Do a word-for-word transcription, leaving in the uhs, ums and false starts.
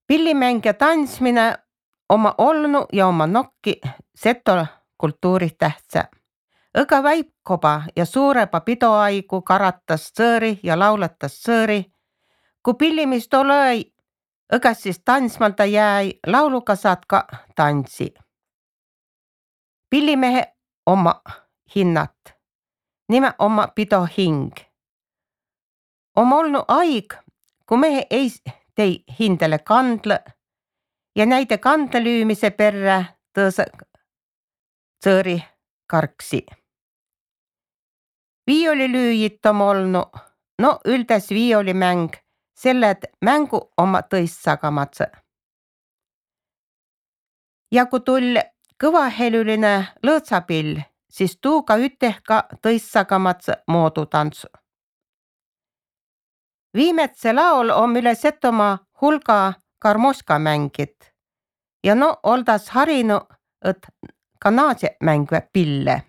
Pillimäng ja tantsmine oma olnu ja oma nokki seto kultuuri tähtsä. Õga väikoba ja suureba pidoaigu karatas sõõri ja lauletas sõõri. Ku pillimist olõi, õgas siis tantsmalda jäi, lauluga saad ka tantsi. Pillimehe oma hinnat, nime oma pido hing. On olnu aig, ku mehe ei tei hindele kandlõ ja näide kandlelüümise perrä tõõsõ sõõri karksi. Viiolilüüjit om olnu, no üldes viiolimäng, selle et mängu oma tõissagamadsõ. Ja ku tull kõvahelüline lõõtsapill, siis tuuga üteh ka tõissagamadsõ moodu tantsu. Viimetse laol om üle Setomaa hulga karmoška mängit ja no oldas harinu, et ka naadse mängvä pille.